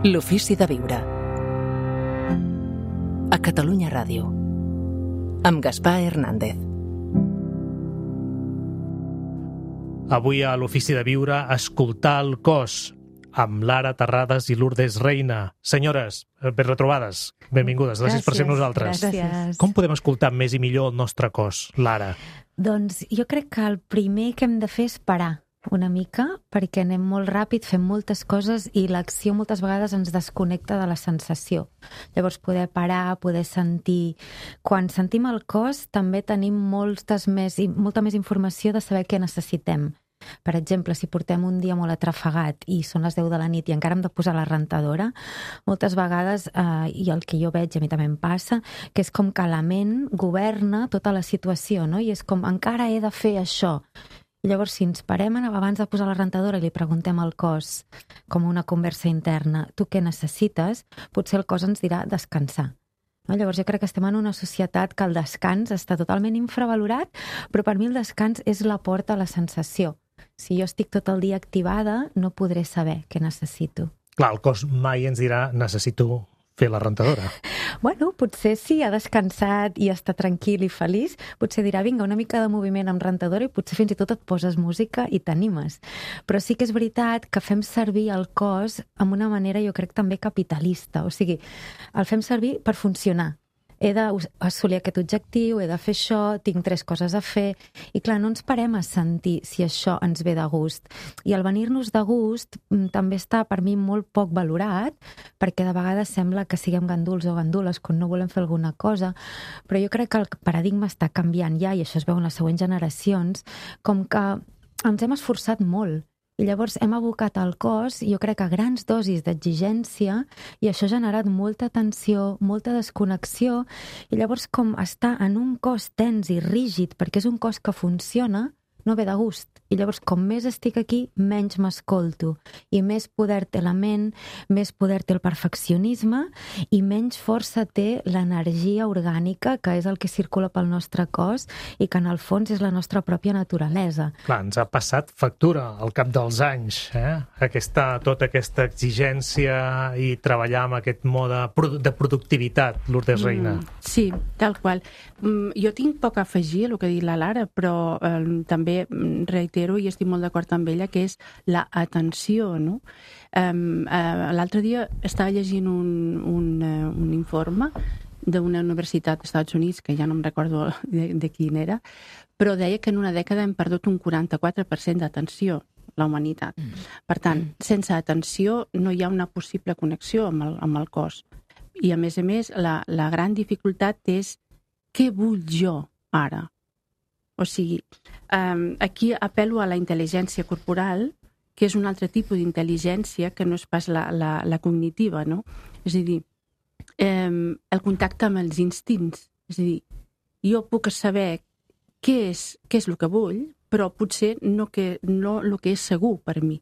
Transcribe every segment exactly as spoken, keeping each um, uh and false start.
L'ofici de viure. A Catalunya Ràdio. Amb Gaspar Hernández. Avui a l'Ofici de Viure, escoltar el cos, amb Lara Terrades i Lourdes Reina. Senyores, ben retrobades, benvingudes, gràcies, gràcies per ser amb nosaltres. Gràcies. Com podem escoltar més i millor el nostre cos, Lara? Doncs jo crec que el primer que hem de fer és parar una mica, perquè anem molt ràpid, fem moltes coses i l'acció moltes vegades ens desconnecta de la sensació. Llavors poder parar, poder sentir. Quan sentim el cos també tenim moltes més, molta més informació de saber què necessitem. Per exemple, si portem un dia molt atrafegat i són les deu de la nit i encara hem de posar la rentadora, moltes vegades, eh, i el que jo veig, a mi també em passa, que és com que la ment governa tota la situació, no? I és com, encara he de fer això. I llavors, si ens parem abans de posar la rentadora i li preguntem al cos, com una conversa interna, tu què necessites? Potser el cos ens dirà descansar. No? Llavors jo crec que estem en una societat que el descans està totalment infravalorat, però per mi el descans és la porta a la sensació. Si jo estic tot el dia activada, no podré saber què necessito. Clar, el cos mai ens dirà necessito fer la rentadora. Bueno, potser sí, ha descansat i està tranquil i feliç, potser dirà, vinga, una mica de moviment amb rentadora i potser fins i tot et poses música i t'animes. Però sí que és veritat que fem servir el cos amb una manera, jo crec, també capitalista. O sigui, el fem servir per funcionar. He d'assolir aquest objectiu, he de fer això, tinc tres coses a fer, i clar, no ens parem a sentir si això ens ve de gust. I el venir-nos de gust també està per mi molt poc valorat, perquè de vegades sembla que siguem ganduls o gandules quan no volem fer alguna cosa, però jo crec que el paradigma està canviant ja, i això es veu en les següents generacions, com que ens hem esforçat molt. I llavors hem abocat al cos, jo crec, a grans dosis d'exigència, i això ha generat molta tensió, molta desconnexió, i llavors com estar en un cos tens i rígid, perquè és un cos que funciona, no ve de gust. I llavors, com més estic aquí, menys m'escolto. I més poder té la ment, més poder té el perfeccionisme, i menys força té l'energia orgànica, que és el que circula pel nostre cos, i que en el fons és la nostra pròpia naturalesa. Clar, ens ha passat factura al cap dels anys, eh? Aquesta, tota aquesta exigència i treballar amb aquest mode de productivitat, Lourdes Reina. Mm, sí, tal qual. Mm, jo tinc poc a afegir el que ha dit la Lara, però eh, també reitero i estic molt d'acord amb ella, que és la atenció, no? Um, uh, l'altre dia estava llegint un, un, uh, un informe d'una universitat dels Estats Units, que ja no em recordo de, de quin era, però deia que en una dècada hem perdut un quaranta-quatre per cent d'atenció, la humanitat. Mm. Per tant, sense atenció no hi ha una possible connexió amb el, amb el cos. I a més a més, la, la gran dificultat és què vull jo ara? O sigui, um, aquí apel·lo a la intel·ligència corporal, que és un altre tipus d'intel·ligència que no és pas la, la, la cognitiva, no? És a dir, um, el contacte amb els instints. És a dir, jo puc saber què és, què és el que vull, però potser no, que, no el que és segur per mi.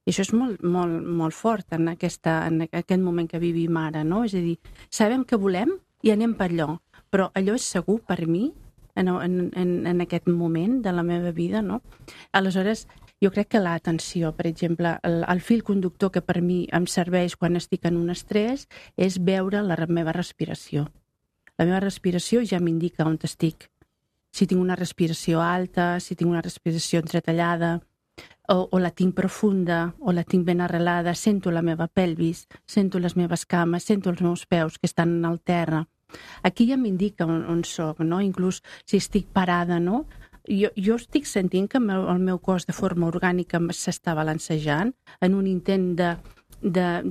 I això és molt, molt, molt fort en, aquesta, en aquest moment que vivim ara, no? És a dir, sabem què volem i anem per allò, però allò és segur per mi? En, en, en aquest moment de la meva vida, no? Aleshores, jo crec que l'atenció, per exemple, el, el fil conductor que per mi em serveix quan estic en un estrès és veure la meva respiració. La meva respiració ja m'indica on estic. Si tinc una respiració alta, si tinc una respiració entretallada, o, o la tinc profunda, o la tinc ben arrelada, sento la meva pelvis, sento les meves cames, sento els meus peus que estan al terra. Aquí ja m'indica on, on soc, no? Inclús si estic parada, no? Jo, jo estic sentint que el meu, el meu cos de forma orgànica s'està balancejant en un intent de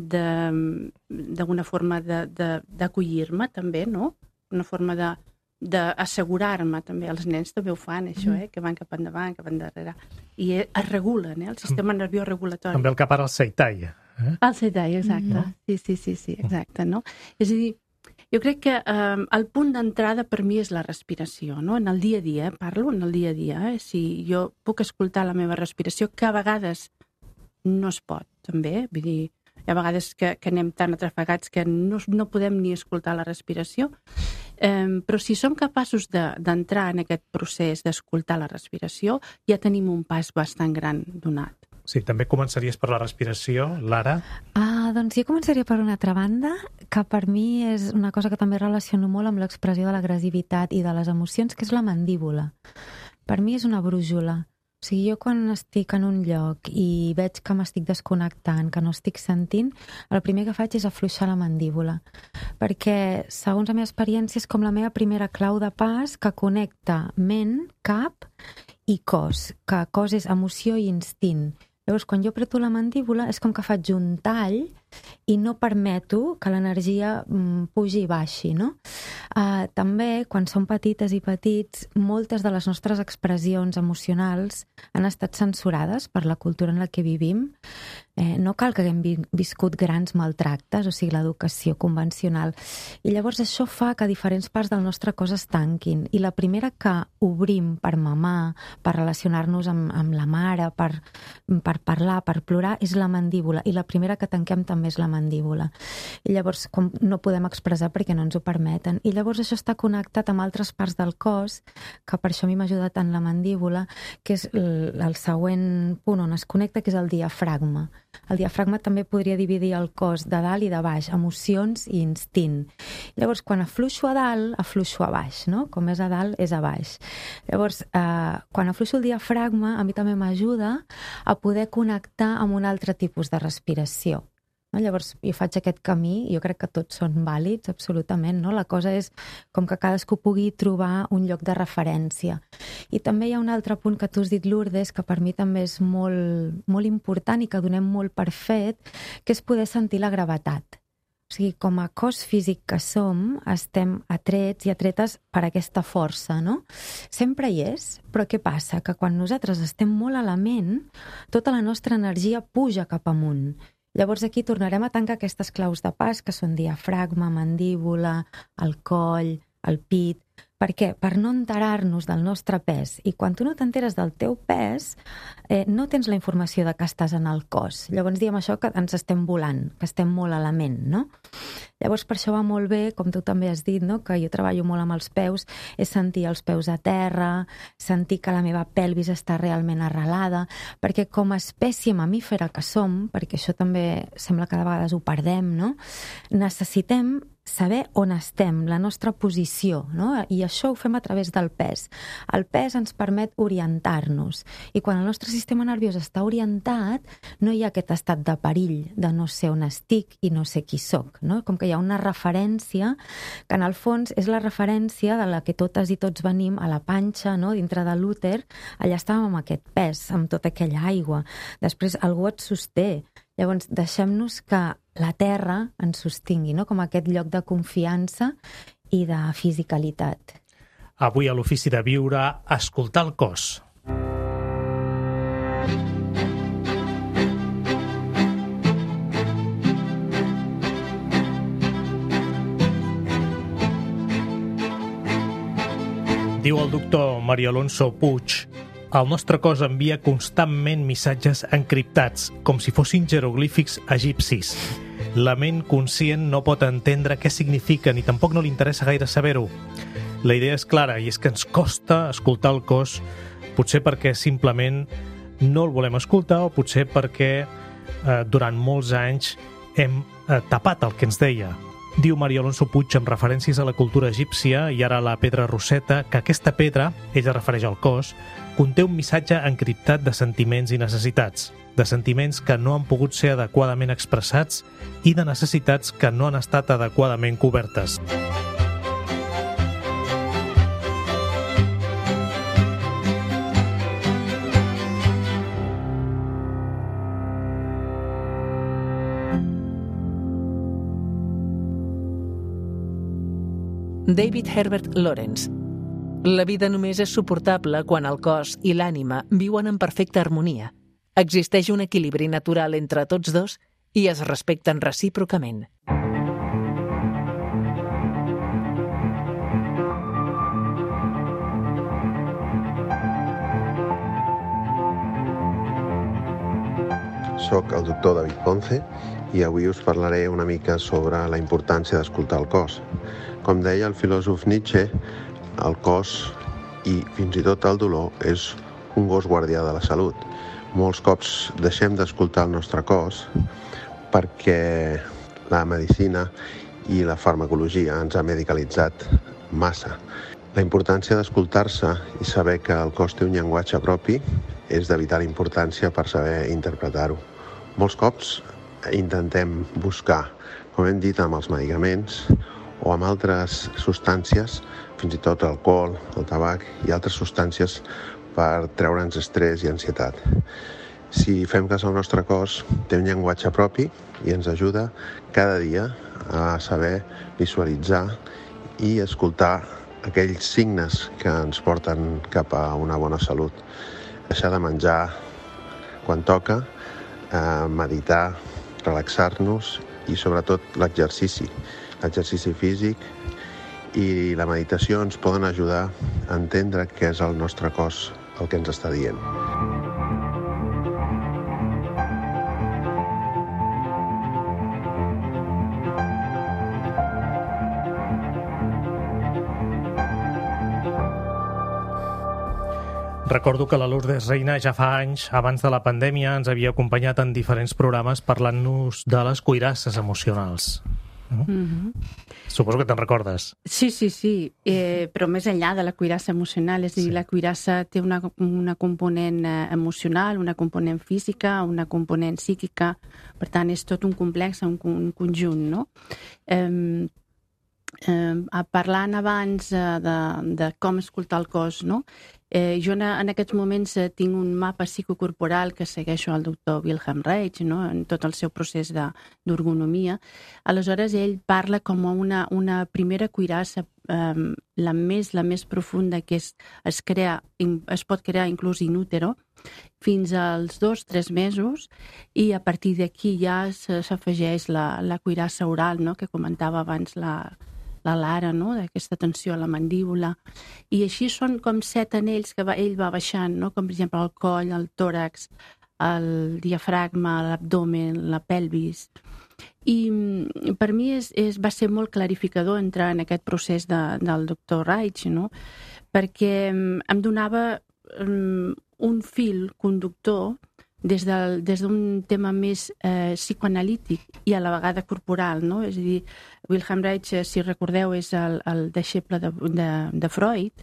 d'alguna forma d'acollir-me també, no? Una forma de d'assegurar-me també. Els nens també ho fan, això, eh? Que van cap endavant, cap endarrere. I es regulen, eh? El sistema nerviós regulatori. També el cap ara al seitai. Eh? El seitai, exacte. Mm. Sí, sí, sí, sí, exacte, no? És a dir, jo crec que eh, el punt d'entrada per mi és la respiració, no? En el dia a dia, eh? Parlo en el dia a dia, eh? Si jo puc escoltar la meva respiració, que a vegades no es pot, també, vull dir, hi ha vegades que, que anem tan atrafegats que no, no podem ni escoltar la respiració, eh, però si som capaços d'entrar de, en aquest procés d'escoltar la respiració, ja tenim un pas bastant gran donat. Sí, també començaries per la respiració, Lara? Ah, doncs jo començaria per una altra banda, que per mi és una cosa que també relaciono molt amb l'expressió de l'agressivitat i de les emocions, que és la mandíbula. Per mi és una brújula. O sigui, jo quan estic en un lloc i veig que m'estic desconnectant, que no estic sentint, el primer que faig és afluixar la mandíbula. Perquè, segons la meva experiència, és com la meva primera clau de pas que connecta ment, cap i cos, que cos és emoció i instint. Llavors, quan jo apreto la mandíbula, és com que faig un tall i no permeto que l'energia mm, pugi i baixi, no? Uh, també, quan som petites i petits, moltes de les nostres expressions emocionals han estat censurades per la cultura en la que vivim. Eh, no cal que haguem vi viscut grans maltractes, o sigui, l'educació convencional. I llavors això fa que diferents parts del nostre cos es tanquin. I la primera que obrim per mamar, per relacionar-nos amb, amb la mare, per, per parlar, per plorar, és la mandíbula. I la primera que tanquem també és la mandíbula. I llavors com no podem expressar perquè no ens ho permeten. I llavors això està connectat amb altres parts del cos, que per això a mi m'ajuda tant la mandíbula, que és el, el següent punt on es connecta, que és el diafragma. El diafragma també podria dividir el cos de dalt i de baix, emocions i instint. Llavors, quan afluixo a dalt, afluixo a baix, no? Com és a dalt, és a baix. Llavors, eh, quan afluixo el diafragma, a mi també m'ajuda a poder connectar amb un altre tipus de respiració. No? Llavors, jo faig aquest camí, jo crec que tots són vàlids, absolutament. No? La cosa és com que cadascú pugui trobar un lloc de referència. I també hi ha un altre punt que tu has dit, Lourdes, que per mi també és molt, molt important i que donem molt per fet, que és poder sentir la gravetat. O sigui, com a cos físic que som, estem atrets i atretes per aquesta força, no? Sempre hi és, però què passa? Que quan nosaltres estem molt a la ment, tota la nostra energia puja cap amunt. Llavors aquí tornarem a tancar aquestes claus de pas, que són diafragma, mandíbula, el coll, el pit. Per què? Per no enterar-nos del nostre pes. I quan tu no t'enteres del teu pes, eh, no tens la informació de que estàs en el cos. Llavors diem això que ens estem volant, que estem molt a la ment, no? Llavors per això va molt bé, com tu també has dit, no? Que jo treballo molt amb els peus, és sentir els peus a terra, sentir que la meva pelvis està realment arrelada, perquè com a espècie mamífera que som, perquè això també sembla que de vegades ho perdem, no? Necessitem saber on estem, la nostra posició, no? I això ho fem a través del pes. El pes ens permet orientar-nos. I quan el nostre sistema nerviós està orientat, no hi ha aquest estat de perill, de no sé on estic i no sé qui soc, no? Com que hi ha una referència que en el fons és la referència de la que totes i tots venim a la panxa, no? Dintre de l'úter, allà estàvem amb aquest pes, amb tota aquella aigua. Després algú et sosté. Llavors, deixem-nos que la terra ens sostingui, no? Com aquest lloc de confiança i de fisicalitat. Avui a l'Ofici de Viure, escoltar el cos. Diu el doctor Mario Alonso Puig: el nostre cos envia constantment missatges encriptats, com si fossin jeroglífics egipcis. La ment conscient no pot entendre què signifiquen i tampoc no li interessa gaire saber-ho. La idea és clara, i és que ens costa escoltar el cos, potser perquè simplement no el volem escoltar o potser perquè eh, durant molts anys hem eh, tapat el que ens deia. Diu Mario Alonso Puig, amb referències a la cultura egípcia i ara a la pedra roseta, que aquesta pedra, ell es refereix al cos, conté un missatge encriptat de sentiments i necessitats, de sentiments que no han pogut ser adequadament expressats i de necessitats que no han estat adequadament cobertes. David Herbert Lawrence. La vida només és suportable quan el cos i l'ànima viuen en perfecta harmonia. Existeix un equilibri natural entre tots dos i es respecten recíprocament. Soc el doctor David Ponce i avui us parlaré una mica sobre la importància d'escoltar el cos. Com deia el filòsof Nietzsche, el cos i fins i tot el dolor és un gos guardià de la salut. molts cops deixem d'escoltar el nostre cos perquè la medicina i la farmacologia ens ha medicalitzat massa. La importància d'escoltar-se i saber que el cos té un llenguatge propi és de vital importància per saber interpretar-ho. Molts cops intentem buscar, com hem dit, amb els medicaments o amb altres substàncies, fins i tot alcohol, el tabac i altres substàncies per treure'ns estrès i ansietat. Si fem cas al nostre cos, té un llenguatge propi i ens ajuda cada dia a saber visualitzar i escoltar aquells signes que ens porten cap a una bona salut. Deixar de menjar quan toca, eh, meditar, relaxar-nos i sobretot l'exercici. L'exercici físic i la meditació ens poden ajudar a entendre què és el nostre cos, el que ens està dient. Recordo que la Lourdes Reina ja fa anys, abans de la pandèmia, ens havia acompanyat en diferents programes parlant-nos de les cuirasses emocionals. No? Mm-hmm. Suposo que te'n recordes. Sí, sí, sí, eh, però més enllà de la cuirassa emocional, és a dir, sí. La cuirassa té una, una component emocional, una component física, una component psíquica, per tant, és tot un complex, un, un conjunt, no? Eh, eh, parlant abans eh, de, de com escoltar el cos, no? Eh, jo en, en aquests moments eh, tinc un mapa psicocorporal que segueixo al doctor Wilhelm Reich, no? En tot el seu procés d'ergonomia. Aleshores, ell parla com una, una primera cuirassa, eh, la més la més profunda, que es, es, crea, es pot crear inclús in útero, fins als dos, tres mesos, i a partir d'aquí ja s'afegeix la, la cuirassa oral, no? Que comentava abans la la Lara, no? D'aquesta tensió a la mandíbula. I així són com set anells que va, ell va baixant, no? Com per exemple el coll, el tòrax, el diafragma, l'abdomen, la pelvis. I per mi és, és, va ser molt clarificador entrar en aquest procés de, del doctor Reich, no? Perquè em donava um, un fil conductor des d'un des tema més eh, psicoanalític i a la vegada corporal, no? És a dir, Wilhelm Reich, si recordeu, és el, el deixeble de, de, de Freud,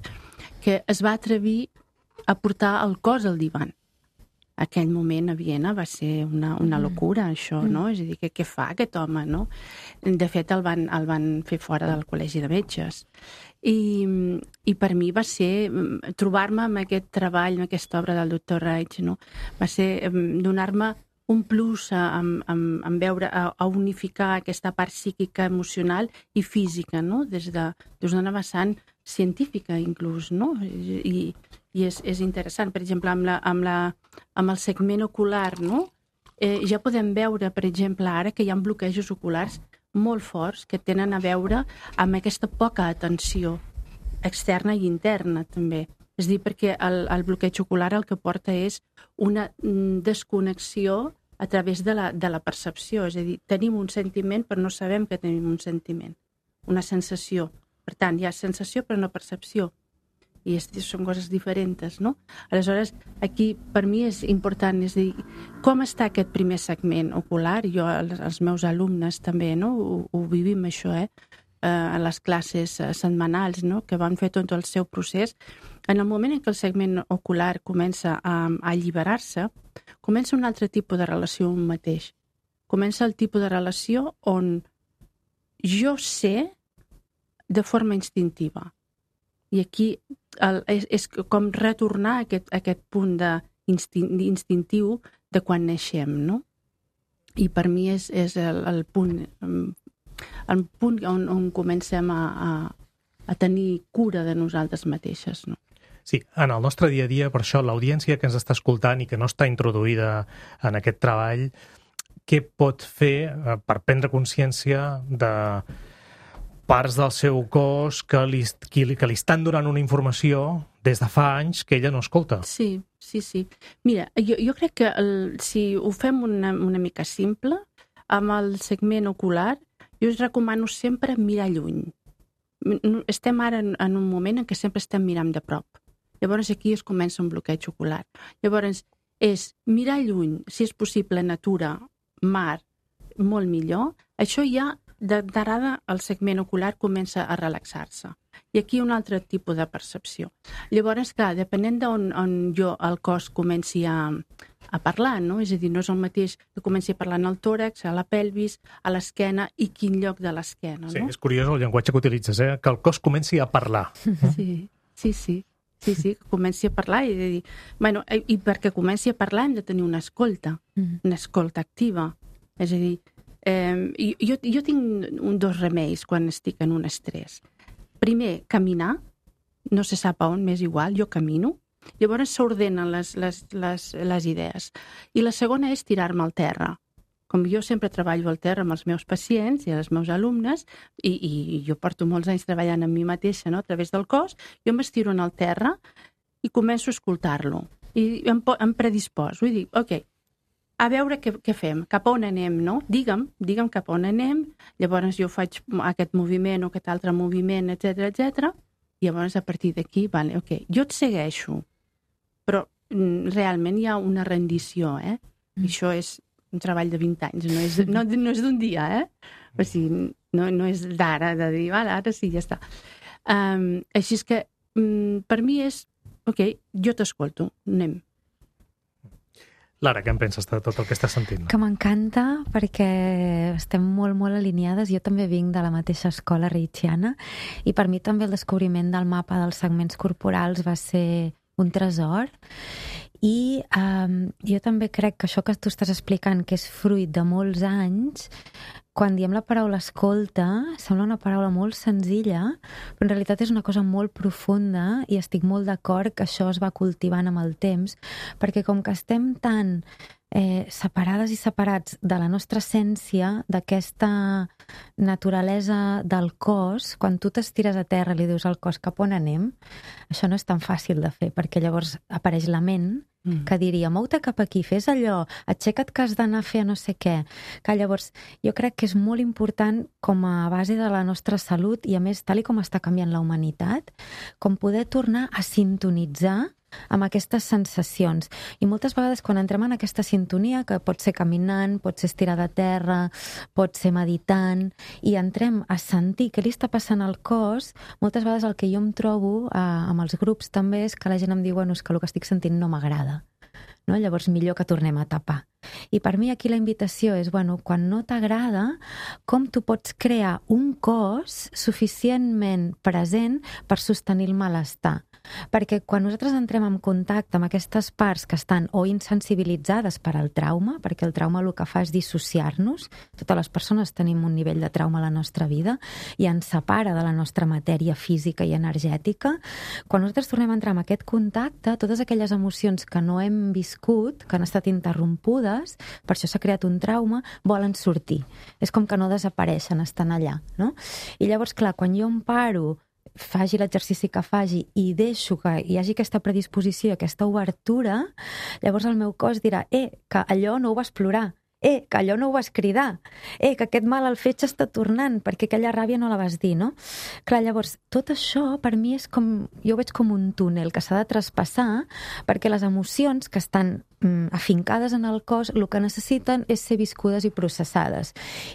que es va atrevir a portar el cos al divan. Aquell moment a Viena va ser una, una locura, això, no? És a dir, què, què fa aquest home, no? De fet, el van, el van fer fora del col·legi de metges. I, i per mi va ser trobar-me amb aquest treball, amb aquesta obra del doctor Reich, no? Va ser donar-me un plus a, a, a, a veure, a, a unificar aquesta part psíquica, emocional i física, no? Des de, des d'una vessant científica, inclús, no? I, i és, és interessant. Per exemple, amb, la, amb, la, amb el segment ocular, no? Eh, ja podem veure, per exemple, ara que hi ha bloquejos oculars molt forts que tenen a veure amb aquesta poca atenció externa i interna, també. És a dir, perquè el, el bloqueig ocular el que porta és una desconnexió a través de la, de la percepció. És a dir, tenim un sentiment però no sabem que tenim un sentiment, una sensació. Per tant, hi ha sensació però no percepció. I és, són coses diferents, no? Aleshores, aquí per mi és important, és a dir, com està aquest primer segment ocular? Jo, els meus alumnes també, no? Ho, ho vivim això, eh? A les classes setmanals, no? Que van fer tot el seu procés. En el moment en què el segment ocular comença a, a alliberar-se, comença un altre tipus de relació amb un mateix. Comença el tipus de relació on jo sé de forma instintiva. I aquí el, és, és com retornar a aquest, a aquest punt de instin, instintiu de quan naixem, no? I per mi és, és el, el punt, el punt on, on comencem a, a, a tenir cura de nosaltres mateixes, no? Sí, en el nostre dia a dia, per això, l'audiència que ens està escoltant i que no està introduïda en aquest treball, què pot fer per prendre consciència de parts del seu cos que li, que li estan donant una informació des de fa anys que ella no escolta? Sí, sí, sí. Mira, jo, jo crec que el, si ho fem una, una mica simple, amb el segment ocular, jo us recomano sempre mirar lluny. Estem ara en, en un moment en què sempre estem mirant de prop. Llavors aquí es comença un bloqueig ocular. Llavors, és mirar lluny, si és possible, natura, mar, molt millor, això ja d'arada el segment ocular comença a relaxar-se. I aquí un altre tipus de percepció. Llavors, clar, depenent d'on on jo el cos comenci a, a parlar, no? És a dir, no és el mateix que comenci a parlar en el tòrax, a la pelvis, a l'esquena i quin lloc de l'esquena, no? Sí, és curiós el llenguatge que utilitzes, eh? Que el cos comenci a parlar. Sí, sí, sí. Sí, sí, que comenci a parlar i de dir... Bueno, i perquè comenci a parlar hem de tenir una escolta, una escolta activa. És a dir, eh, jo, jo tinc un, dos remeis quan estic en un estrès. Primer, caminar, no se sap a on, m'és igual, jo camino, llavors s'ordenen les, les, les, les idees. I la segona és tirar-me al terra. Com jo sempre treballo al terra amb els meus pacients i els meus alumnes, i, i jo porto molts anys treballant amb mi mateixa, no? A través del cos, jo m'estiro en el terra i començo a escoltar-lo. I em, em predisposo i dic, ok, a veure què, què fem, cap on anem, no? Digue'm, digue'm cap on anem, llavors jo faig aquest moviment o aquest altre moviment, etcètera, etcètera, i llavors a partir d'aquí, vale, ok, jo et segueixo, però realment hi ha una rendició, eh? I això és un treball de vint anys, no és, no, no és d'un dia, eh? O sigui, no, no és d'ara, de dir, vale, ara sí, ja està. Um, així és que um, per mi és, ok, jo t'escolto, anem. Lara, què en penses de tot el que estàs sentint? Que m'encanta perquè estem molt, molt alineades. Jo també vinc de la mateixa escola reichiana i per mi també el descobriment del mapa dels segments corporals va ser un tresor. I um, jo també crec que això que tu estàs explicant, que és fruit de molts anys, quan diem la paraula escolta, sembla una paraula molt senzilla, però en realitat és una cosa molt profunda i estic molt d'acord que això es va cultivant amb el temps, perquè com que estem tan eh, separades i separats de la nostra essència, d'aquesta naturalesa del cos, quan tu t'estires a terra i li dius al cos cap on anem, això no és tan fàcil de fer, perquè llavors apareix la ment que diria, mou-te cap aquí, fes allò, aixeca't que has d'anar a fer no sé què. Que llavors, jo crec que és molt important com a base de la nostra salut i a més, tal i com està canviant la humanitat, com poder tornar a sintonitzar amb aquestes sensacions. I moltes vegades quan entrem en aquesta sintonia, que pot ser caminant, pot ser estirada a terra, pot ser meditant, i entrem a sentir què li està passant al cos, moltes vegades el que jo em trobo eh, amb els grups també és que la gent em diu, bueno, és que el que estic sentint no m'agrada. No? Llavors millor que tornem a tapar. I per mi aquí la invitació és, bueno, quan no t'agrada, com tu pots crear un cos suficientment present per sostenir el malestar. Perquè quan nosaltres entrem en contacte amb aquestes parts que estan o insensibilitzades per al trauma, perquè el trauma el que fa és dissociar-nos, totes les persones tenim un nivell de trauma a la nostra vida i ens separa de la nostra matèria física i energètica, quan nosaltres tornem a entrar en aquest contacte, totes aquelles emocions que no hem viscut, que han estat interrompudes, per això s'ha creat un trauma, volen sortir. És com que no desapareixen, estan allà, no? I llavors, clar, quan jo em paro, faci l'exercici que faci i deixo que hi hagi aquesta predisposició, aquesta obertura, llavors el meu cos dirà, eh, que allò no ho vas plorar, eh, que allò no ho vas cridar, eh, que aquest mal al fetge està tornant, perquè aquella ràbia no la vas dir, no? Clar, llavors, tot això per mi és com, jo ho veig com un túnel que s'ha de traspassar, perquè les emocions que estan afincades en el cos, el que necessiten és ser viscudes i processades.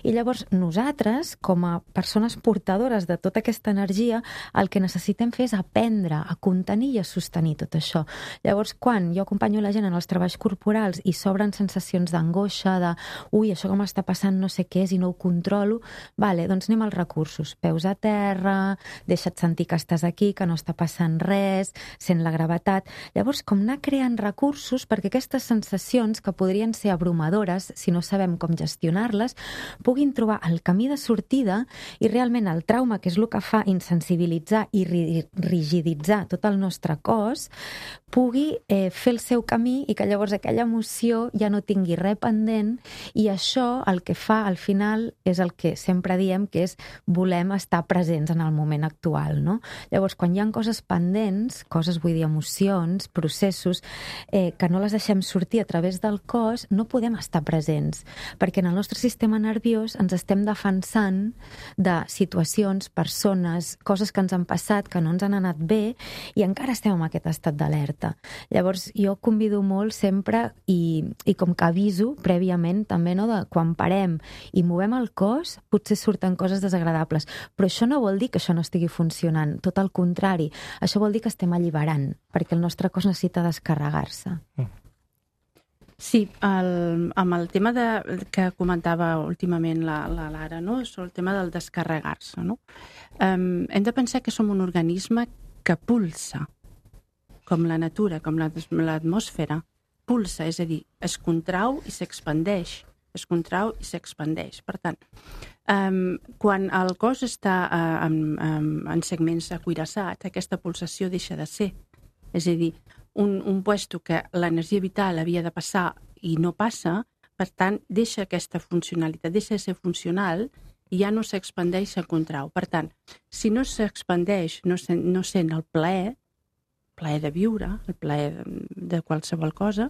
I llavors nosaltres, com a persones portadores de tota aquesta energia, el que necessitem fer és aprendre a contenir i a sostenir tot això. Llavors, quan jo acompanyo la gent en els treballs corporals i s'obren sensacions d'angoixa, de ui, això que m'està passant no sé què és i no ho controlo, vale, doncs anem als recursos. Peus a terra, deixa't sentir que estàs aquí, que no està passant res, sent la gravetat. Llavors, com anar creant recursos perquè aquestes sensacions que podrien ser abrumadores si no sabem com gestionar-les, puguin trobar el camí de sortida i realment el trauma, que és el que fa insensibilitzar i rigiditzar tot el nostre cos, pugui eh, fer el seu camí i que llavors aquella emoció ja no tingui res pendent i això el que fa al final és el que sempre diem que és volem estar presents en el moment actual, no? Llavors, quan hi ha coses pendents, coses vull dir emocions, processos, eh, que no les deixem sortir a través del cos, no podem estar presents, perquè en el nostre sistema nerviós ens estem defensant de situacions, persones, coses que ens han passat, que no ens han anat bé, i encara estem en aquest estat d'alerta. alta. Llavors, jo convido molt sempre i, i com que aviso prèviament també, no, de quan parem i movem el cos, potser surten coses desagradables. Però això no vol dir que això no estigui funcionant. Tot el contrari. Això vol dir que estem alliberant, perquè el nostre cos necessita descarregar-se. Mm. Sí, el, amb el tema de, que comentava últimament la, la Lara, no? Sobre el tema del descarregar-se, no? Um, hem de pensar que som un organisme que pulsa, com la natura, com l'atmosfera, pulsa, és a dir, es contrau i s'expandeix, es contrau i s'expandeix. Per tant, um, quan el cos està uh, en, en, en segments acuirassats, aquesta pulsació deixa de ser. És a dir, un, un puesto que l'energia vital havia de passar i no passa, per tant, deixa aquesta funcionalitat, deixa de ser funcional i ja no s'expandeix, se contrau. Per tant, si no s'expandeix, no, se, no sent el plaer, plaer de viure, el plaer de, de qualsevol cosa,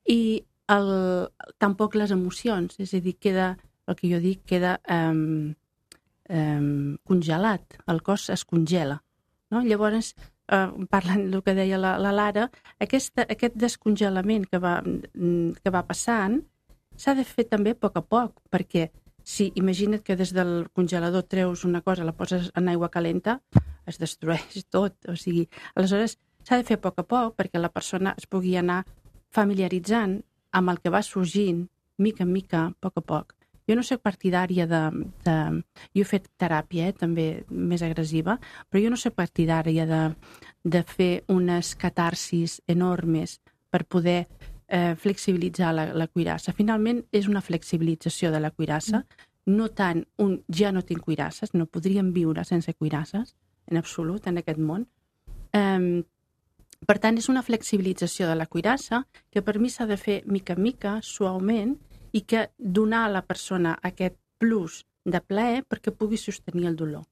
i el, tampoc les emocions, és a dir, queda, el que jo dic, queda um, um, congelat, el cos es congela. No? Llavors, Uh, parlant del que deia la, la Lara, aquesta, aquest descongelament que va, que va passant s'ha de fer també a poc a poc, perquè si imagina't que des del congelador treus una cosa, la poses en aigua calenta, es destrueix tot. O sigui, aleshores s'ha de fer a poc a poc perquè la persona es pugui anar familiaritzant amb el que va sorgint, mica en mica, a poc a poc. Jo no soc partidària de, de... Jo he fet teràpia, eh, també més agressiva, però jo no soc partidària de, de fer unes catarsis enormes per poder eh, flexibilitzar la, la cuirassa. Finalment, és una flexibilització de la cuirassa, mm. no tant un ja no tinc cuirasses, no podríem viure sense cuirasses, en absolut, en aquest món. Eh, per tant, és una flexibilització de la cuirassa que per mi s'ha de fer mica en mica, suaument, i que donar a la persona aquest plus de plaer perquè pugui sostenir el dolor.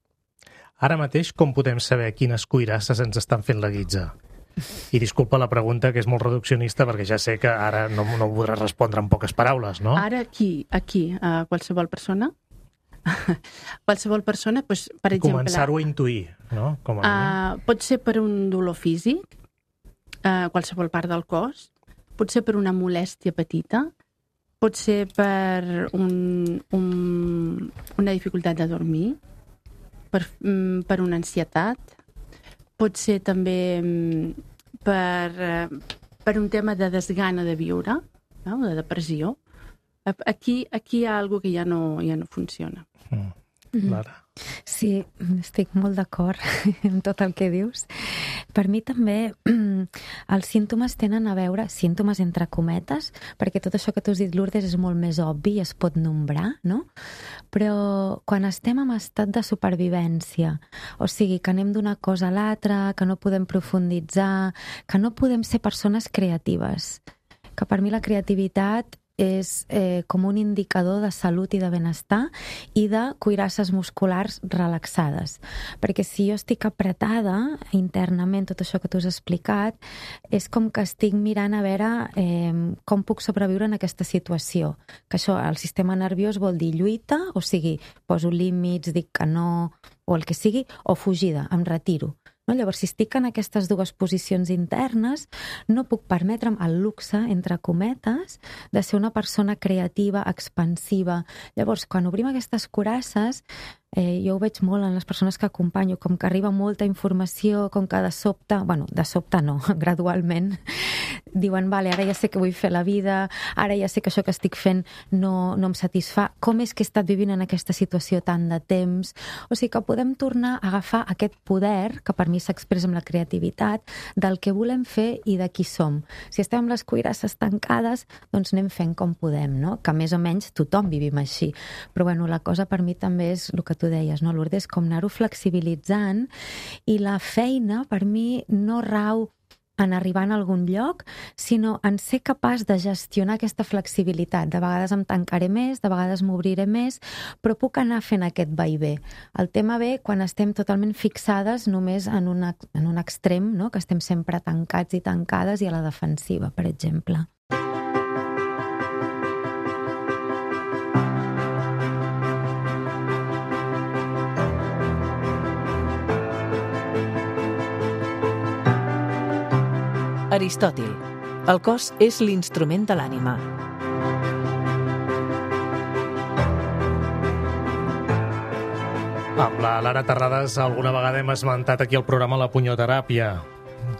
Ara mateix, com podem saber quines cuirasses ens estan fent la guitza? I disculpa la pregunta, que és molt reduccionista, perquè ja sé que ara no, no podràs respondre en poques paraules, no? Ara aquí, aquí, a qualsevol persona, qualsevol persona, doncs, per exemple... Començar-ho a intuir, no? Com a uh, pot ser per un dolor físic, uh, qualsevol part del cos, pot ser per una molèstia petita, pot ser per un, un, una dificultat de dormir, per, per una ansietat, pot ser també per, per un tema de desgana de viure, no? De depressió. Aquí, aquí hi ha alguna cosa que ja no, ja no funciona. Mm. Lara. Sí, estic molt d'acord amb tot el que dius. Per mi també els símptomes tenen a veure, símptomes entre cometes, perquè tot això que tu has dit, Lourdes, és molt més obvi i es pot nombrar, no? Però quan estem en estat de supervivència, o sigui, que anem d'una cosa a l'altra, que no podem profunditzar, que no podem ser persones creatives, que per mi la creativitat és eh, com un indicador de salut i de benestar i de cuirasses musculars relaxades. Perquè si jo estic apretada internament, tot això que tu has explicat, és com que estic mirant a veure eh, com puc sobreviure en aquesta situació. Que això, el sistema nerviós vol dir lluita, o sigui, poso límits, dic que no, o el que sigui, o fugida, em retiro. No? Llavors, si estic en aquestes dues posicions internes, no puc permetre'm el luxe, entre cometes, de ser una persona creativa, expansiva. Llavors, quan obrim aquestes cuirasses, eh, jo ho veig molt en les persones que acompanyo, com que arriba molta informació, com que de sobte, bueno, de sobte no, gradualment, diuen, vale, ara ja sé que vull fer la vida, ara ja sé que això que estic fent no, no em satisfà, com és que he estat vivint en aquesta situació tant de temps? O sigui que podem tornar a agafar aquest poder, que per mi s'expressa amb la creativitat, del que volem fer i de qui som. Si estem amb les cuirasses tancades, doncs anem fent com podem, no? Que més o menys tothom vivim així. Però bueno, la cosa per mi també és el que tu deies, no, Lourdes, com anar-ho flexibilitzant, i la feina per mi no rau en arribar a algun lloc, sinó en ser capaç de gestionar aquesta flexibilitat. De vegades em tancaré més, de vegades m'obriré més, però puc anar fent aquest vaivé. El tema ve quan estem totalment fixades només en un, en un extrem, no? Que estem sempre tancats i tancades i a la defensiva, per exemple. Aristòtil. El cos és l'instrument de l'ànima. Amb la Lara Terrades alguna vegada hem esmentat aquí al programa la punyoteràpia,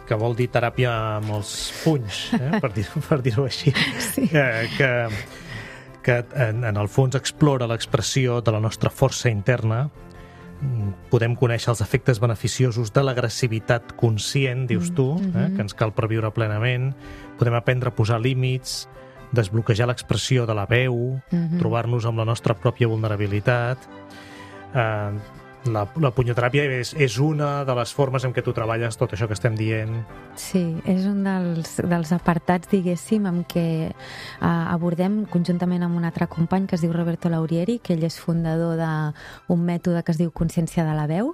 que vol dir teràpia amb els punys, eh? per dir-ho per dir-ho així, Sí. que, que, que en, en el fons explora l'expressió de la nostra força interna. Podem conèixer els efectes beneficiosos de l'agressivitat conscient, dius tu, eh? que ens cal per viure plenament. Podem aprendre a posar límits, desbloquejar l'expressió de la veu, Mhm. trobar-nos amb la nostra pròpia vulnerabilitat. Eh, la, la punyoteràpia és, és una de les formes en què tu treballes tot això que estem dient. Sí, és un dels, dels apartats, diguéssim, amb què uh, abordem conjuntament amb un altre company que es diu Roberto Laurieri, que ell és fundador d'un mètode que es diu Consciència de la veu,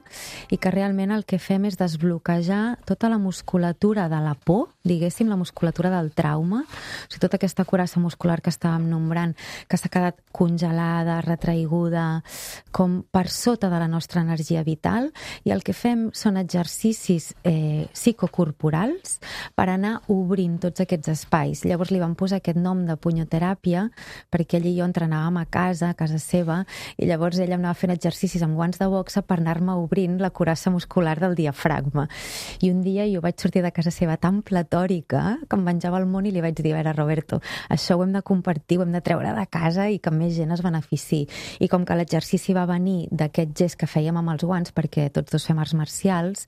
i que realment el que fem és desbloquejar tota la musculatura de la por, diguéssim, la musculatura del trauma, o sigui, tota aquesta curassa muscular que estàvem nombrant, que s'ha quedat congelada, retraiguda, com per sota de la nostra energia vital, i el que fem són exercicis eh, psicocorporals per anar obrint tots aquests espais. Llavors li vam posar aquest nom de punyoteràpia perquè ell i jo entrenàvem a casa, a casa seva, i llavors ell em anava fent exercicis amb guants de boxa per anar-me obrint la curassa muscular del diafragma. I un dia jo vaig sortir de casa seva tan platòrica que em menjava el món i li vaig dir, a veure, Roberto, això ho hem de compartir, ho hem de treure de casa i que més gent es benefici. I com que l'exercici va venir d'aquest gest que fèiem amb els guants, perquè tots dos fem arts marcials,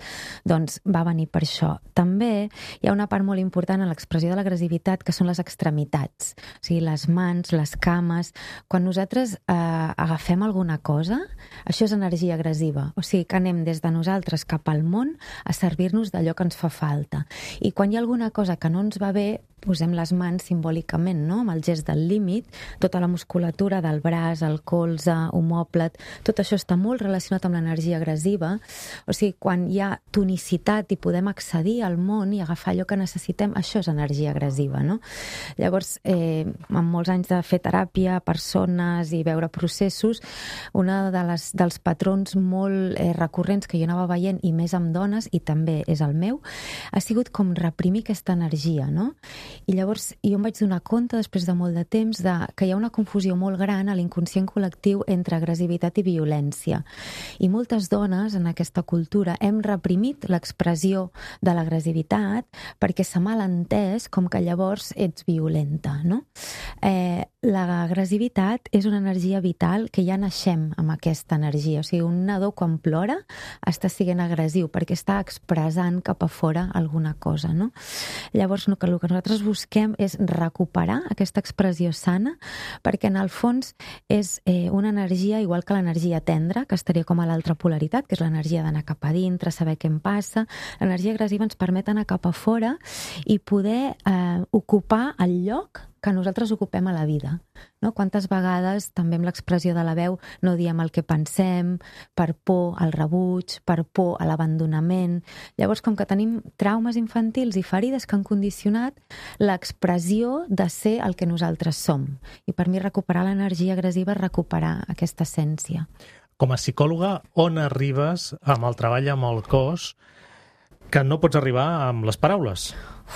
doncs va venir per això. També hi ha una part molt important en l'expressió de l'agressivitat, que són les extremitats, o sigui, les mans, les cames. Quan nosaltres eh, agafem alguna cosa, això és energia agressiva, o sigui, que anem des de nosaltres cap al món a servir-nos d'allò que ens fa falta. I quan hi ha alguna cosa que no ens va bé, posem les mans simbòlicament, no?, amb el gest del límit, tota la musculatura del braç, el colze, omòplat, tot això està molt relacionat amb l'energia agressiva. O sigui, quan hi ha tonicitat i podem accedir al món i agafar allò que necessitem, això és energia agressiva, no? Llavors, eh, amb molts anys de fer teràpia, persones i veure processos, una de les, dels patrons molt eh, recurrents que jo anava veient, i més amb dones, i també és el meu, ha sigut com reprimir aquesta energia, no? I llavors jo em vaig donar compte, després de molt de temps, de que hi ha una confusió molt gran a l'inconscient col·lectiu entre agressivitat i violència. I moltes dones en aquesta cultura hem reprimit l'expressió de l'agressivitat perquè s'ha mal entès com que llavors ets violenta, no? Eh, l'agressivitat és una energia vital que ja naixem amb aquesta energia. O sigui, un nadó quan plora està sent agressiu perquè està expressant cap a fora alguna cosa, no? Llavors, el que nosaltres busquem és recuperar aquesta expressió sana, perquè en el fons és eh, una energia igual que l'energia tendra, que estaria com a l'altra polaritat, que és l'energia d'anar cap a dintre, saber què em passa. L'energia agressiva ens permet anar cap a fora i poder eh, ocupar el lloc que nosaltres ocupem a la vida, no? Quantes vegades també amb l'expressió de la veu no diem el que pensem, per por al rebuig, per por a l'abandonament. Llavors, com que tenim traumes infantils i ferides que han condicionat l'expressió de ser el que nosaltres som. I per mi recuperar l'energia agressiva és recuperar aquesta essència. Com a psicòloga, on arribes amb el treball amb el cos que no pots arribar amb les paraules?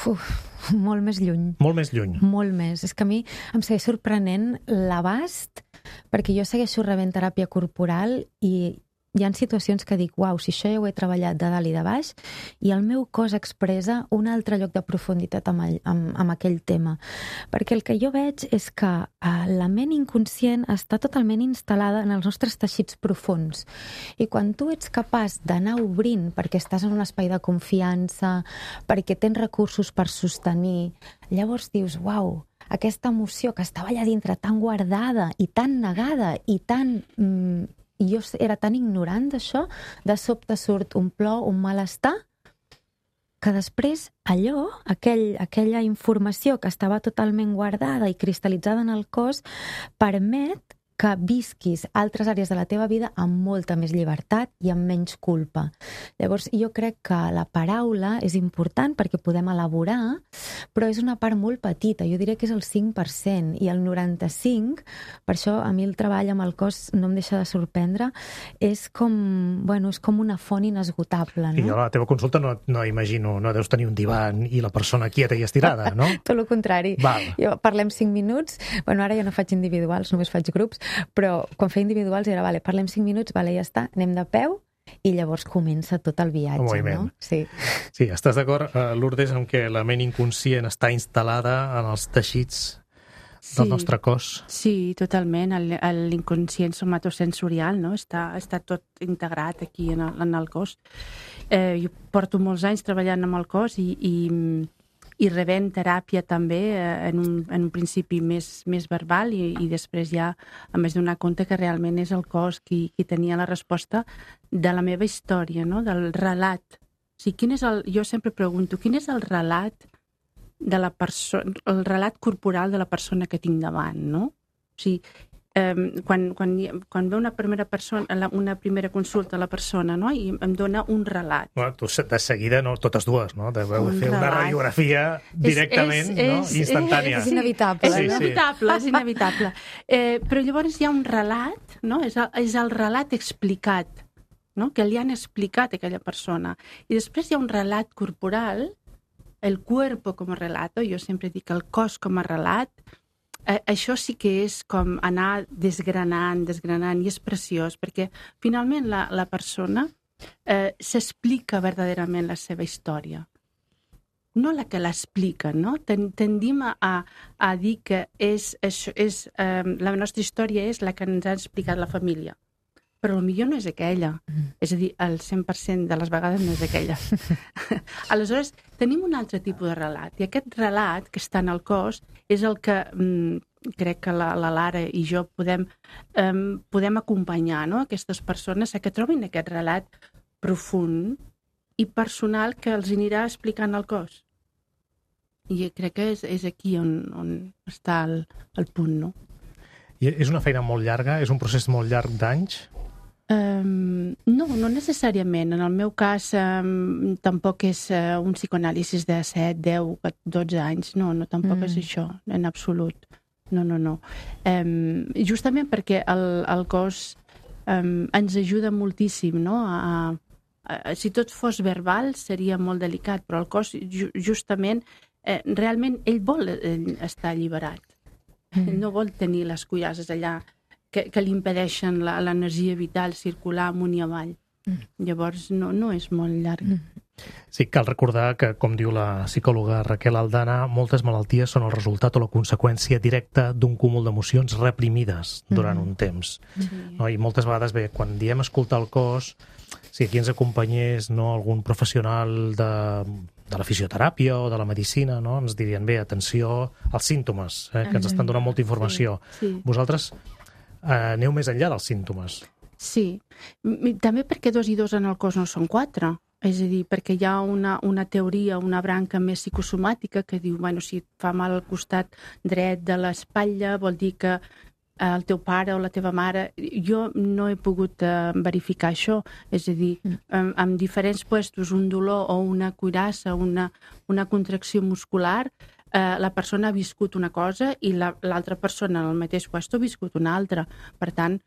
Uf, molt més lluny. Molt més lluny. Molt més. És que a mi em segueix sorprenent l'abast, perquè jo segueixo rebent teràpia corporal i hi ha situacions que dic, uau, si això ja ho he treballat de dalt i de baix, i el meu cos expressa un altre lloc de profunditat amb, el, amb, amb aquell tema. Perquè el que jo veig és que eh, la ment inconscient està totalment instal·lada en els nostres teixits profuns. I quan tu ets capaç d'anar obrint, perquè estàs en un espai de confiança, perquè tens recursos per sostenir, llavors dius, uau, aquesta emoció que estava allà dintre tan guardada i tan negada i tan... Mm, i jo era tan ignorant d'això, de sobte surt un plor, un malestar, que després allò, aquell, aquella informació que estava totalment guardada i cristal·litzada en el cos, permet que visquis altres àrees de la teva vida amb molta més llibertat i amb menys culpa. Llavors, jo crec que la paraula és important perquè podem elaborar, però és una part molt petita, jo diria que és el cinc per cent, i el noranta-cinc per cent, per això a mi el treball amb el cos no em deixa de sorprendre, és com, bueno, és com una font inesgotable, no? I jo a la teva consulta no, no imagino, no deus tenir un divan i la persona quieta i estirada, no? Tot el contrari. Val. Jo parlem cinc minuts, bueno, ara ja no faig individuals, només faig grups, però quan feia individuals era, vale, parlem cinc minuts, vale, ja està, anem de peu, i llavors comença tot el viatge, no? Sí. Sí, estàs d'acord, uh, Lourdes, amb que la ment inconscient està instal·lada en els teixits del Sí. nostre cos? Sí, totalment. El- el- L'inconscient somatosensorial, no? Està, està tot integrat aquí en el, en el cos. Eh, jo porto molts anys treballant amb el cos i, i, i rebent teràpia també eh, en, un, en un principi més, més verbal i, i després ja a més donar compte que realment és el cos qui, qui tenia la resposta de la meva història, no? Del relat. O sigui, quin és el, jo sempre pregunto, quin és el relat de la persona, el relat corporal de la persona que tinc davant, no? O sigui, eh, quan, quan, quan ve una primera persona, la- una primera consulta a la persona, no? I em dona un relat. Bueno, tu de seguida, no, totes dues, no? Deveu Un fer una relat. radiografia directament, És- és- no? és- Instantània. És inevitable, És Sí, sí. inevitable, és inevitable. Eh, però llavors hi ha un relat, no? És el, és el relat explicat, no? Que li han explicat a aquella persona. I després hi ha un relat corporal, el cuerpo com a relato, jo sempre dic el cos com a relat, eh, això sí que és com anar desgranant, desgranant, i és preciós, perquè finalment la, la persona eh, s'explica verdaderament la seva història. No la que l'explica, no? Ten, tendim a, a, a dir que és, és, és, eh, la nostra història és la que ens ha explicat la família. Però potser no és aquella. Mm. És a dir, el cent per cent de les vegades no és aquella. Aleshores, tenim un altre tipus de relat. I aquest relat que està en el cos és el que mm, crec que la, la Lara i jo podem, um, podem acompanyar, no? Aquestes persones a que trobin aquest relat profund i personal que els anirà explicant el cos. I crec que és, és aquí on, on està el, el punt, no? I és una feina molt llarga? És un procés molt llarg d'anys? Um, no, no necessàriament. En el meu cas um, tampoc és uh, un psicoanàlisis de set, deu, dotze anys. No, no, tampoc mm. és això, en absolut. No, no, no. Um, justament perquè el, el cos um, ens ajuda moltíssim, no? A, a, si tot fos verbal seria molt delicat, però el cos ju, justament, eh, realment ell vol ell estar alliberat. Mm. Ell no vol tenir les cuirasses allà que, que li impedeixen la, l'energia vital circular amunt i avall. Mm. Llavors no, no és molt llarg. Mm. Sí, cal recordar que, com diu la psicòloga Raquel Aldana, moltes malalties són el resultat o la conseqüència directa d'un cúmul d'emocions reprimides durant mm. un temps. Sí. No? I moltes vegades, bé, quan diem escoltar el cos, si aquí ens acompanyés, no, algun professional de, de la fisioteràpia o de la medicina, no, ens dirien, bé, atenció als símptomes, eh, que ens estan donant molta informació. Sí, sí. Vosaltres eh, aneu més enllà dels símptomes. Sí, també perquè dos i dos en el cos no són quatre. És a dir, perquè hi ha una, una teoria, una branca més psicosomàtica que diu, bueno, si et fa mal al costat dret de l'espatlla, vol dir que el teu pare o la teva mare... Jo no he pogut uh, verificar això. És a dir, mm. amb, amb diferents puestos, un dolor o una cuirassa, una, una contracció muscular, uh, la persona ha viscut una cosa i la, l'altra persona en el mateix puesto ha viscut una altra. Per tant,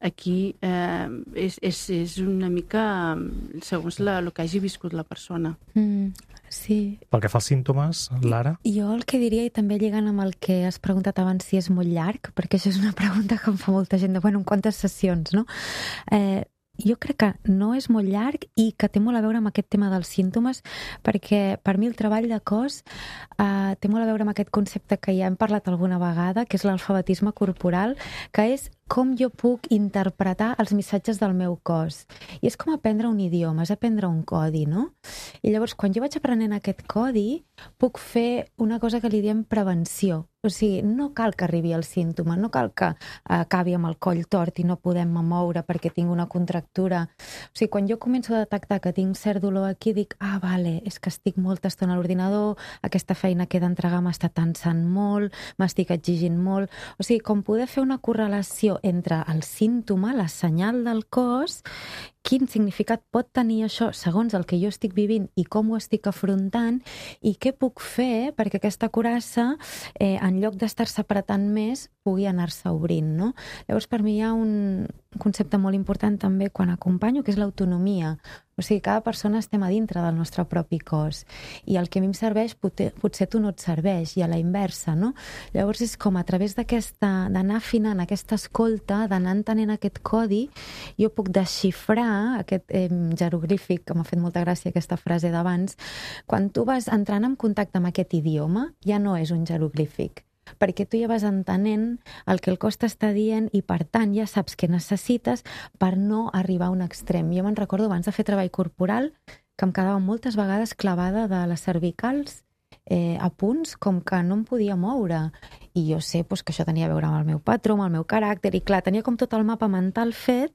aquí eh, és, és, és una mica segons la, el que hagi viscut la persona. Mm, sí. Pel que fa als símptomes, Lara? Jo el que diria, i també lligant amb el que has preguntat abans, si és molt llarg, perquè això és una pregunta que em fa molta gent de, bueno, en quantes sessions, no? Eh, jo crec que no és molt llarg i que té molt a veure amb aquest tema dels símptomes, perquè per mi el treball de cos eh, té molt a veure amb aquest concepte que ja hem parlat alguna vegada, que és l'alfabetisme corporal, que és com jo puc interpretar els missatges del meu cos. I és com aprendre un idioma, és aprendre un codi, no? I llavors, quan jo vaig aprenent aquest codi, puc fer una cosa que li diem prevenció. O sigui, no cal que arribi el símptoma, no cal que acabi amb el coll tort i no podem moure perquè tinc una contractura. O sigui, quan jo començo a detectar que tinc cert dolor aquí, dic, ah, vale, és que estic molta estona a l'ordinador, aquesta feina que he d'entregar m'està tensant molt, m'estic exigint molt. O sigui, com poder fer una correlació relació entre el símptoma, la senyal del cos, quin significat pot tenir això segons el que jo estic vivint i com ho estic afrontant i què puc fer perquè aquesta curassa, eh, en lloc d'estar-se apretant més, pugui anar-se obrint, no? Llavors, per mi hi ha un concepte molt important també quan acompanyo, que és l'autonomia. O sigui, cada persona estem a dintre del nostre propi cos i el que a mi em serveix potser, potser tu no et serveix i a la inversa, no? Llavors és com a través d'aquesta, d'anar afinant aquesta escolta, d'anar entenent aquest codi, jo puc desxifrar aquest eh, jeroglífic, que m'ha fet molta gràcia aquesta frase d'abans. Quan tu vas entrant en contacte amb aquest idioma, ja no és un jeroglífic, perquè tu ja vas entenent el que el cos t'està dient i, per tant, ja saps què necessites per no arribar a un extrem. Jo me'n recordo abans de fer treball corporal que em quedava moltes vegades clavada de les cervicals eh, a punts com que no em podia moure. I jo sé pues, que això tenia a veure amb el meu patró, amb el meu caràcter, i clar, tenia com tot el mapa mental fet,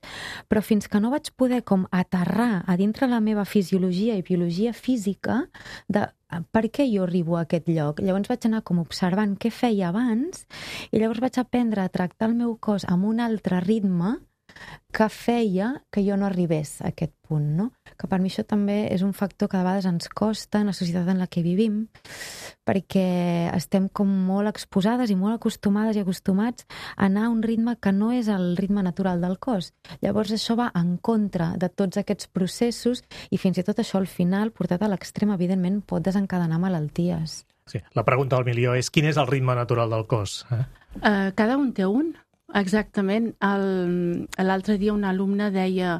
però fins que no vaig poder com aterrar a dintre la meva fisiologia i biologia física de per què jo arribo a aquest lloc. Llavors vaig anar com observant què feia abans i llavors vaig aprendre a tractar el meu cos amb un altre ritme que feia que jo no arribés a aquest punt, no? Que per mi això també és un factor que de vegades ens costa en la societat en la que vivim, perquè estem com molt exposades i molt acostumades i acostumats a anar a un ritme que no és el ritme natural del cos. Llavors això va en contra de tots aquests processos i fins i tot això al final, portat a l'extrem, evidentment pot desencadenar malalties. Sí, la pregunta del milió és quin és el ritme natural del cos? Eh? Uh, cada un té un. Exactament. L'altre dia un alumne deia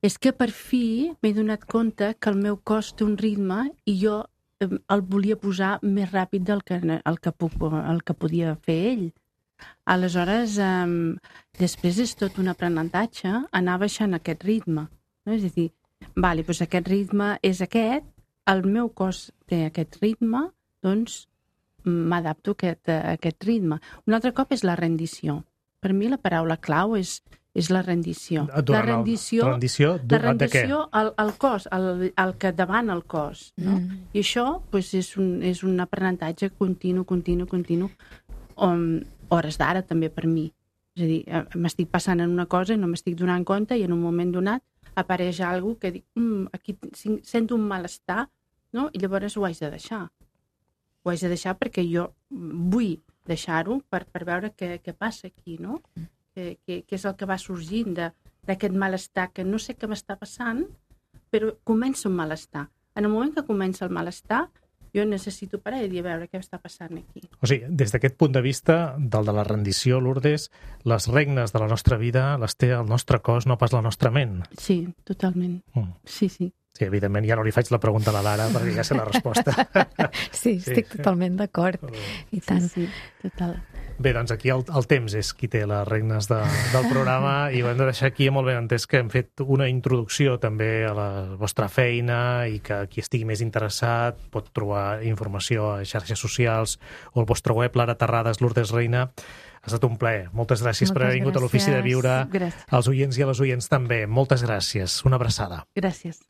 és que per fi m'he donat compte que el meu cos té un ritme i jo el volia posar més ràpid del que, el que, puc, el que podia fer ell. Aleshores, um, després és tot un aprenentatge anar baixant aquest ritme. No? És a dir, vale, doncs aquest ritme és aquest, el meu cos té aquest ritme, doncs m'adapto a aquest, a aquest ritme. Un altre cop és la rendició. Per mi la paraula clau és, és la rendició. Durant la rendició, el, rendició, la rendició al, al cos, al, al que davant el cos. No? Mm. I això pues, és, un, és un aprenentatge continu, continu, continu, on, hores d'ara també per mi. És a dir, m'estic passant en una cosa i no m'estic donant compte i en un moment donat apareix alguna que dic, mm, aquí sento un malestar, no? I llavors ho haig de deixar. Ho haig de deixar perquè jo vull deixar-ho per, per veure què, què passa aquí, no? Què, què, què és el que va sorgint d'aquest malestar, que no sé què m'està passant, però comença un malestar. En el moment que comença el malestar, jo necessito parar i dir a veure què està passant aquí. O sigui, des d'aquest punt de vista, del de la rendició, Lourdes, les regnes de la nostra vida les té el nostre cos, no pas la nostra ment. Sí, totalment. Mm. Sí, sí. Sí, evidentment, ja no li faig la pregunta a la Lara perquè ja sé la resposta. Sí, estic sí. totalment d'acord. I tant. Sí, sí, total. Bé, doncs aquí el, el temps és qui té les regnes de, del programa i ho hem de deixar aquí molt ben entès que hem fet una introducció també a la vostra feina i que qui estigui més interessat pot trobar informació a xarxes socials o al vostre web, Lara Terrades, Lourdes Reina. Ha estat un plaer. Moltes gràcies Moltes per haver vingut gràcies. A l'Ofici de Viure. Gràcies. Als oients i a les oients també. Moltes gràcies. Una abraçada. Gràcies.